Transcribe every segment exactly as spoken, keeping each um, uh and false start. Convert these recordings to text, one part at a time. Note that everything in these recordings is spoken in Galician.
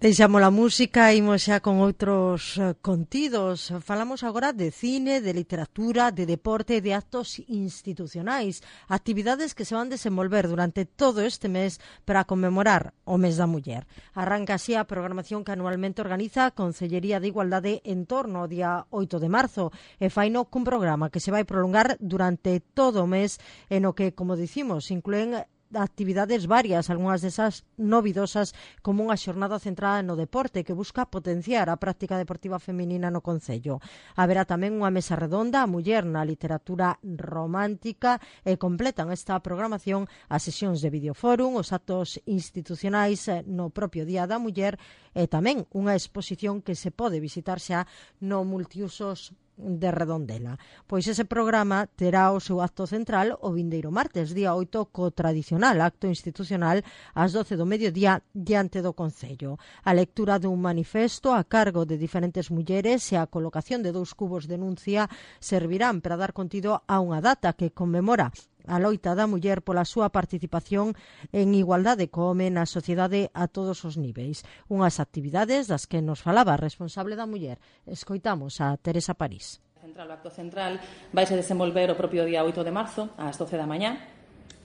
Deixamos a música e imos xa con outros contidos. Falamos agora de cine, de literatura, de deporte e de actos institucionais, actividades que se van desenvolver durante todo este mes para conmemorar o mes da muller. Arranca así a programación que anualmente organiza a Consellería de Igualdade en torno ao día oito de marzo e faino cun programa que se vai prolongar durante todo o mes e no que, como dicimos, incluen actividades varias, algunhas desas novidosas, como unha xornada centrada no deporte que busca potenciar a práctica deportiva feminina no concello. Haberá tamén unha mesa redonda a muller na literatura romántica e completan esta programación as sesións de videoforum, os actos institucionais no propio Día da Muller e tamén unha exposición que se pode visitar xa no multiusos de Redondela. Pois ese programa terá o seu acto central o vindeiro martes, día oito, co tradicional acto institucional ás doce do mediodía diante do Concello. A lectura dun manifesto a cargo de diferentes mulleres e a colocación de dous cubos de denuncia servirán para dar contido a unha data que conmemora a loita da muller pola súa participación en igualdade co home na sociedade a todos os niveis. Unhas actividades das que nos falaba a responsable da muller. Escoitamos a Teresa París. Central, o acto central vai se desenvolver o propio día oito de marzo ás doce da mañá.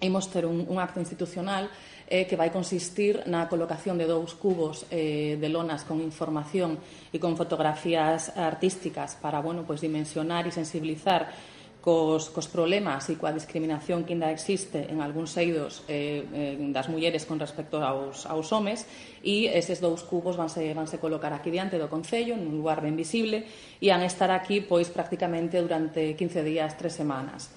Imos ter un, un acto institucional eh, que vai consistir na colocación de dous cubos eh, de lonas con información e con fotografías artísticas para, bueno, pues, dimensionar e sensibilizar Cos, cos problemas e coa discriminación que ainda existe en algúns eidos eh, eh, das mulleres con respecto aos, aos homes, e eses dous cubos vanse, vanse colocar aquí diante do Concello, nun lugar ben visible, e han estar aquí pois prácticamente durante quince días, tres semanas.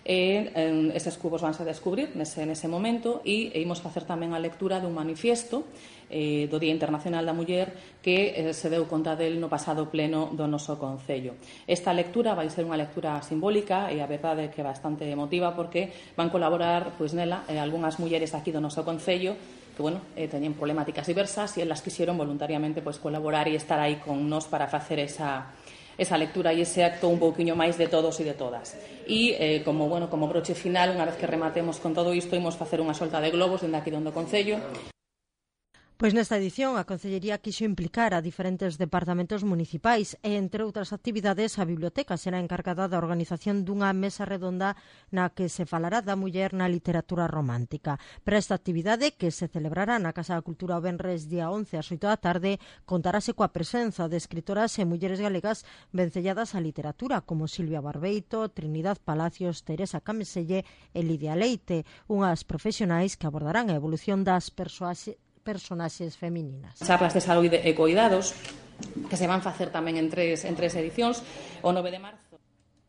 E eh, eses cubos vanse a descubrir nese, nese momento e, e imos facer tamén a lectura dun manifiesto eh, do Día Internacional da Muller que eh, se deu conta del no pasado pleno do noso Concello. Esta lectura vai ser unha lectura simbólica e a verdade que é bastante emotiva porque van colaborar pois nela eh, algunhas mulleres aquí do noso Concello que, bueno, eh, teñen problemáticas diversas e elas quixeron voluntariamente pois colaborar e estar aí con nós para facer esa esa lectura e ese acto un pouquiño máis de todos e de todas. E, eh, como, bueno, como broche final, unha vez que rematemos con todo isto, imos facer unha solta de globos dende aquí do Concello. Pois nesta edición a Consellería quixo implicar a diferentes departamentos municipais e, entre outras actividades, a Biblioteca será encargada da organización dunha mesa redonda na que se falará da muller na literatura romántica. Para esta actividade, que se celebrará na Casa da Cultura o venres día once ás oito da tarde, contarase coa presenza de escritoras e mulleres galegas vencelladas á literatura, como Silvia Barbeito, Trinidad Palacios, Teresa Cameselle e Lidia Leite, unhas profesionais que abordarán a evolución das persoas personaxes femininas. Charlas de saúde e cuidados que se van facer tamén en tres, en tres edicións. O nove de marzo,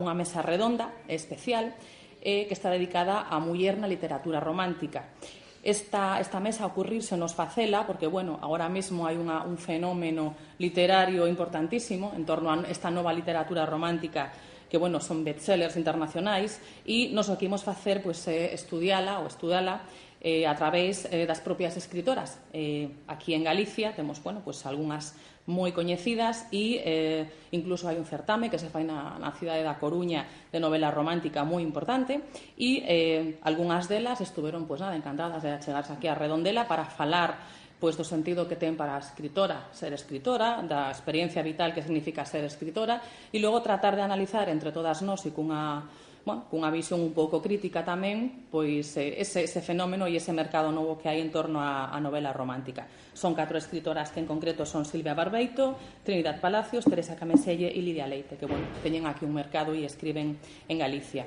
unha mesa redonda especial eh, que está dedicada á muller na literatura romántica. Esta, esta mesa ocurrirse nos facela porque, bueno, agora mesmo hai unha, un fenómeno literario importantísimo en torno a esta nova literatura romántica que, bueno, son bestsellers internacionais e nos o que imos facer pois, é estudiala ou estudala Eh, a través eh, das propias escritoras. Eh, aquí en Galicia temos, bueno, pues algunhas moi coñecidas e eh, incluso hai un certame que se fai na, na cidade da Coruña de novela romántica moi importante e eh, algunhas delas estuveron, pues nada, encantadas de achegarse aquí a Redondela para falar pois do sentido que ten para a escritora ser escritora, da experiencia vital que significa ser escritora e logo tratar de analizar entre todas nós e cunha Bueno, cunha visión un pouco crítica tamén, pois ese, ese fenómeno e ese mercado novo que hai en torno á, á novela romántica. Son catro escritoras que en concreto son Silvia Barbeito, Trinidad Palacios, Teresa Cameselle e Lidia Leite, que, bueno, teñen aquí un mercado e escriben en Galicia.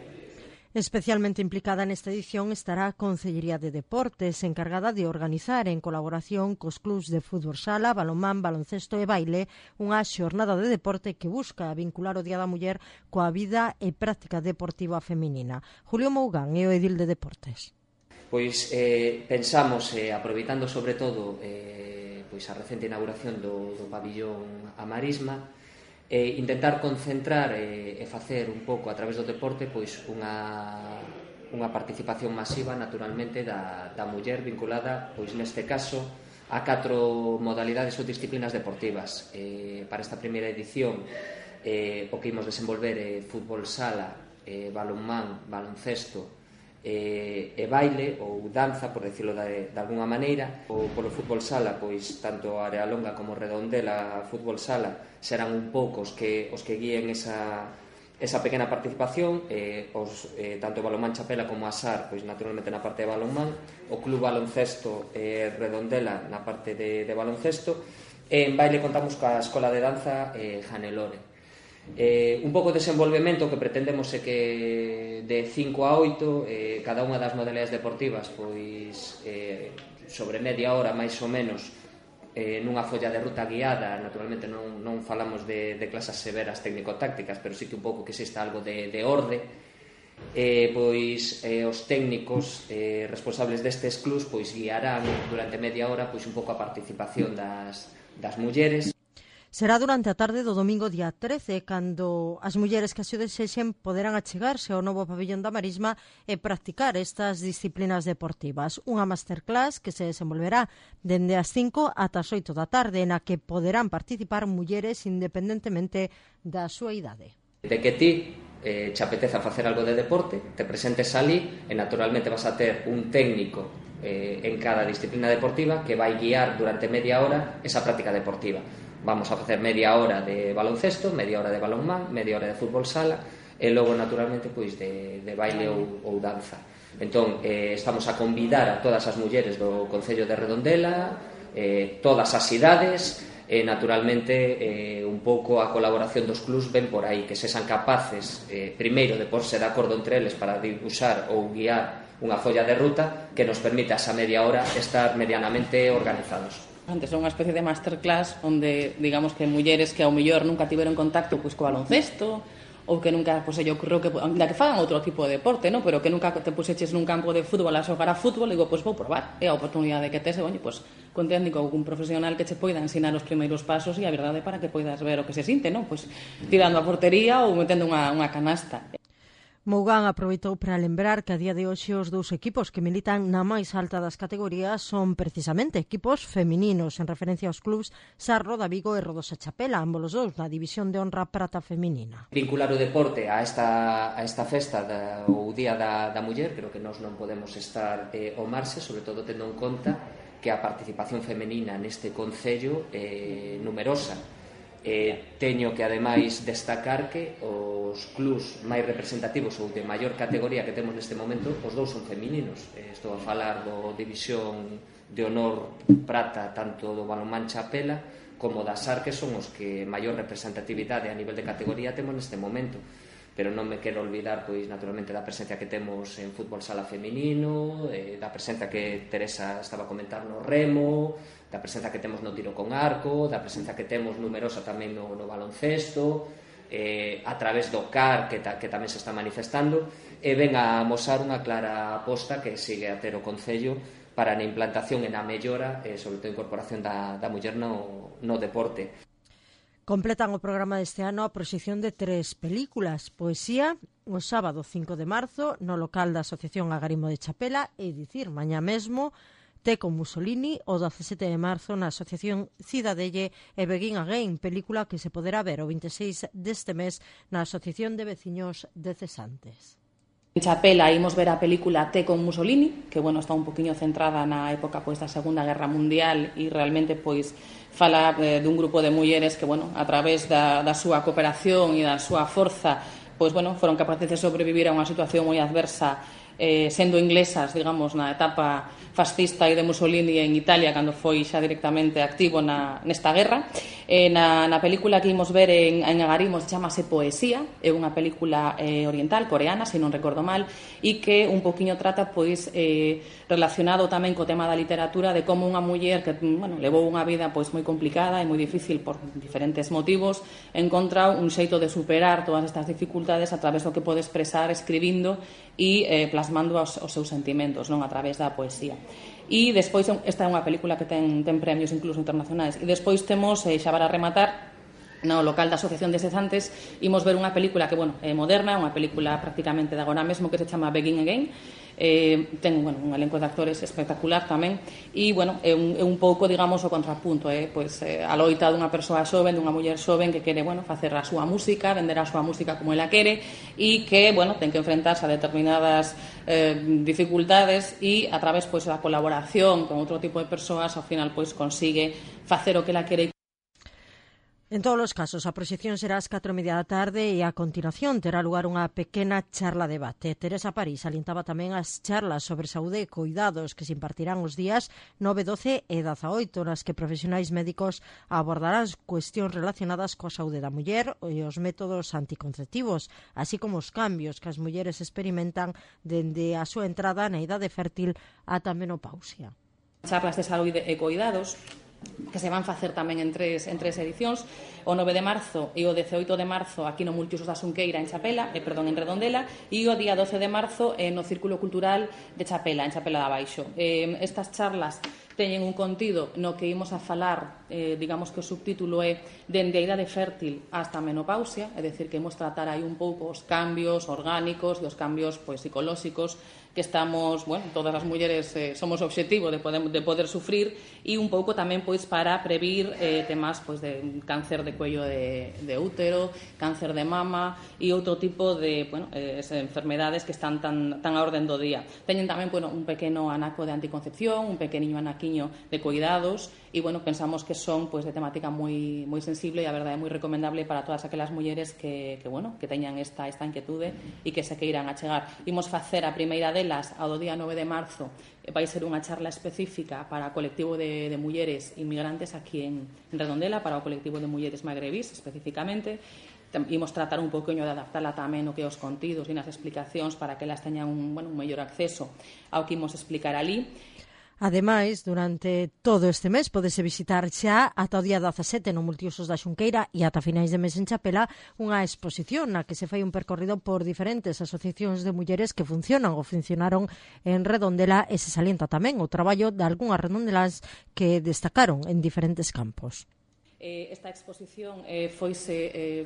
Especialmente implicada nesta edición estará a Consellería de Deportes, encargada de organizar en colaboración cos clubs de fútbol sala, balonmán, baloncesto e baile unha xornada de deporte que busca vincular o Día da Muller coa vida e práctica deportiva feminina. Julio Mougán é o edil de Deportes. Pois eh, pensamos, eh, aproveitando sobre todo eh, pois a recente inauguración do, do pabillón A Marisma, e intentar concentrar e, e facer un pouco a través do deporte pois unha, unha participación masiva naturalmente da, da muller vinculada pois neste caso a catro modalidades ou disciplinas deportivas. Eh, para esta primeira edición eh, o que imos desenvolver é fútbol sala, eh, balonmán, baloncesto e, e baile ou danza, por decirlo de, de alguna maneira. O, polo fútbol sala, pois tanto Arealonga como Redondela fútbol sala serán un pouco os que, os que guíen esa, esa pequena participación, eh, os, eh, tanto Balonmán Chapela como Asar, pois naturalmente na parte de balonmán, o Club Baloncesto eh, Redondela na parte de, de baloncesto, e en baile contamos coa Escola de Danza eh, Janelore. Eh, un pouco de desenvolvemento que pretendemos é que de cinco a oito eh, cada unha das modalidades deportivas pois eh, sobre media hora máis ou menos eh, nunha folla de ruta guiada. Naturalmente non, non falamos de, de clases severas técnico-tácticas, pero sí que un pouco que exista algo de, de orde. Eh, pois eh, os técnicos eh, responsables destes clubs pois guiarán durante media hora pois un pouco a participación das, das mulleres. Será durante a tarde do domingo día trece, cando as mulleres que así o desexen poderán achegarse ao novo pabillón da Marisma e practicar estas disciplinas deportivas. Unha masterclass que se desenvolverá dende as cinco ata as oito da tarde, na que poderán participar mulleres independentemente da súa idade. De que ti eh, te apeteza facer algo de deporte, te presentes ali e naturalmente vas a ter un técnico eh, en cada disciplina deportiva que vai guiar durante media hora esa práctica deportiva. Vamos a facer media hora de baloncesto, media hora de balonmán, media hora de fútbol sala e logo naturalmente pois de, de baile ou, ou danza. Entón, eh, estamos a convidar a todas as mulleres do Concello de Redondela, eh, todas as idades, e naturalmente eh, un pouco a colaboración dos clubs ven por aí, que sexan capaces eh, primeiro de porse de acordo entre eles para dibuixar ou guiar unha folla de ruta que nos permita esa media hora estar medianamente organizados. Antes é unha especie de masterclass onde, digamos, que mulleres que ao mellor nunca tiveron contacto pois co baloncesto ou que nunca, pois, se lle ocorreu que, da que fagan outro tipo de deporte, no? Pero que nunca te puxeches nun campo de fútbol a xogar a fútbol, digo, pois vou probar. É a oportunidade que tes, oye, pois, con técnico ou un profesional que che poida ensinar os primeiros pasos e a verdade para que poidas ver o que se sinte, no? Pois tirando a portería ou metendo unha, unha canasta. Mougán aproveitou para lembrar que a día de hoxe os dous equipos que militan na máis alta das categorías son precisamente equipos femininos, en referencia aos clubs Sarro da Vigo e Rodosa Chapela, ambos os dous na división de honra prata feminina. Vincular o deporte a esta, a esta festa da, ou Día da, da Muller, creo que nós non podemos estar eh, ao marxe, sobre todo tendo en conta que a participación femenina neste concello é eh, numerosa. Eh, teño que ademais destacar que os clubs máis representativos ou de maior categoría que temos neste momento, os dous son femininos. Eh, estou a falar do División de Honor Prata, tanto do Balonmán Chapela como da Sar, que son os que maior representatividade a nivel de categoría temos neste momento. Pero non me quero olvidar, pois, naturalmente, da presencia que temos en fútbol sala feminino, eh, da presencia que Teresa estaba a comentar no remo, da presencia que temos no tiro con arco, da presencia que temos numerosa tamén no, no baloncesto, eh, a través do C A R que, ta, que tamén se está manifestando, e ven a amosar unha clara aposta que sigue a ter o Concello para na implantación e na mellora, e sobre todo a incorporación da, da muller no, no deporte. Completan o programa deste ano a proxección de tres películas: Poesía, o sábado cinco de marzo, no local da Asociación Agarimo de Chapela, e dicir, mañá mesmo, Té con Mussolini, o dezasete de marzo na Asociación Cidadelle, e Begin Again, película que se poderá ver o vinte e seis deste mes na Asociación de Veciños de Cesantes. En Chapela imos ver a película Té con Mussolini, que, bueno, está un poquinho centrada na época pois da Segunda Guerra Mundial e realmente pois fala eh, dun grupo de mulleres que, bueno, a través da, da súa cooperación e da súa forza, pois, bueno, foron capaces de sobrevivir a unha situación moi adversa, eh, sendo inglesas, digamos, na etapa fascista e de Mussolini en Italia, cando foi xa directamente activo na, nesta guerra. Eh, na, na película que imos ver en, en Agarimos chamase Poesía, é unha película eh, oriental, coreana, se non recordo mal, e que un poquinho trata, pois, eh, relacionado tamén co tema da literatura, de como unha muller que, bueno, levou unha vida pois moi complicada e moi difícil por diferentes motivos, encontra un xeito de superar todas estas dificultades a través do que pode expresar escribindo e eh, plasmando os, os seus sentimentos, non, a través da poesía. E despois, esta é unha película que ten, ten premios incluso internacionais, e despois temos, eh, xa para rematar, no local da Asociación de Cezantes, imos ver unha película que, bueno, é moderna, unha película prácticamente de agora mesmo que se chama Begin Again. Eh, ten, bueno, un elenco de actores espectacular tamén e, bueno, é un, é un pouco, digamos, o contrapunto, eh? Pois, eh, a loita dunha persoa xoven, dunha muller xoven que quere, bueno, facer a súa música, vender a súa música como ela quere e que, bueno, ten que enfrentarse a determinadas eh, dificultades e a través, pois, da colaboración con outro tipo de persoas, ao final, pois, consigue facer o que ela quere. En todos os casos, a proxección será ás catro e media da tarde e a continuación terá lugar unha pequena charla debate. Teresa París alintaba tamén as charlas sobre saúde e cuidados que se impartirán os días nove, doce e dezaoito, nas que profesionais médicos abordarán cuestións relacionadas coa saúde da muller e os métodos anticonceptivos, así como os cambios que as mulleres experimentan dende a súa entrada na idade fértil ata a menopausia. Charlas de saúde e cuidados que se van facer tamén en tres, en tres edicións, o nove de marzo e o dezaoito de marzo aquí no Multiusos da Xunqueira en Chapela, eh, perdón, en Redondela, e o día doce de marzo eh, no Círculo Cultural de Chapela, en Chapela de Abaixo. Eh, estas charlas teñen un contido no que imos a falar, eh, digamos que o subtítulo é dende a idade fértil hasta a menopausia, é dicir, que imos tratar aí un pouco os cambios orgánicos e os cambios, pois, psicolóxicos que estamos, bueno, todas as mulleres eh, somos obxectivo de poder, de poder sufrir e un pouco tamén, pois, para previr eh, temas, pois, de cáncer de cuello de, de útero, cáncer de mama e outro tipo de, bueno, eh, enfermedades que están tan, tan a orden do día. Teñen tamén, bueno, un pequeno anaco de anticoncepción, un pequeniño anaquiño de cuidados e, bueno, pensamos que son, pois, de temática moi moi sensible e a verdade é moi recomendable para todas aquelas mulleres que, que bueno, que teñan esta, esta inquietude e que se queiran achegar. Imos facer a primeira delas ao día nove de marzo, vai ser unha charla específica para o colectivo de, de mulleres inmigrantes aquí en, en Redondela, para o colectivo de mulleres magrebís especificamente. Imos tratar un poquinho de adaptarla tamén o que os contidos e nas explicacións para que elas teñan un, bueno, un mellor acceso ao que imos explicar ali. Ademais, durante todo este mes podese visitar xa ata o día dezasete no Multiusos da Xunqueira e ata finais de mes en Chapela unha exposición na que se fai un percorrido por diferentes asociacións de mulleres que funcionan ou funcionaron en Redondela e se salienta tamén o traballo de algunhas redondelas que destacaron en diferentes campos. Eh, esta exposición eh, foise eh,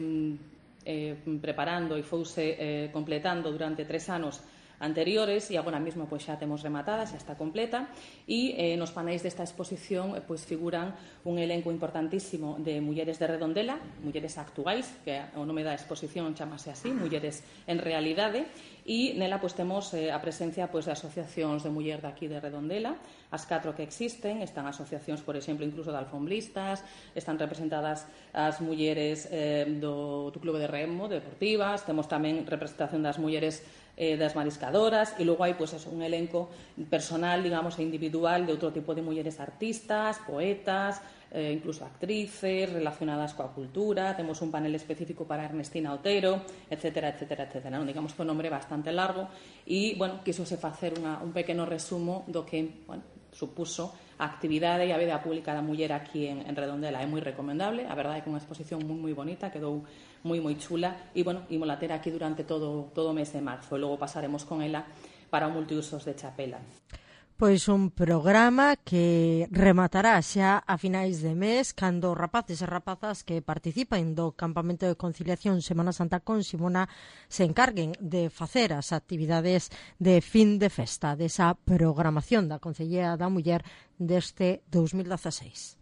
eh, preparando e fouse eh, completando durante tres anos anteriores e agora mesmo pois xa temos rematada, xa está completa e eh, nos paneis desta exposición eh, pois figuran un elenco importantísimo de mulleres de Redondela, mulleres actuais, que o nome da exposición chamase así, Mulleres en Realidade, e nela pois temos eh, a presencia pois de asociacións de muller daqui de Redondela, as catro que existen, están asociacións, por exemplo, incluso de alfombristas, están representadas as mulleres eh, do, do Clube de Remo, deportivas, temos tamén representación das mulleres eh, das mariscadoras e logo hai pois, eso, un elenco personal, digamos, e individual de outro tipo de mulleres artistas, poetas, eh, incluso actrices relacionadas coa cultura. Temos un panel específico para Ernestina Otero, etcétera, etcétera, etcétera. Non? Digamos que o nombre é bastante largo e, bueno, quisose facer unha, un pequeno resumo do que, bueno, supuso a actividade e a vida pública da muller aquí en, en Redondela. É moi recomendable, a verdade é que unha exposición moi moi bonita, quedou moi moi chula e, bueno, ímola ter aquí durante todo, todo o mes de marzo e logo pasaremos con ela para o Multiusos de Chapela. Pois un programa que rematará xa a finais de mes cando rapaces e rapazas que participan do Campamento de Conciliación Semana Santa con Simona se encarguen de facer as actividades de fin de festa desa programación da Concellería da Muller deste dous mil dezaseis.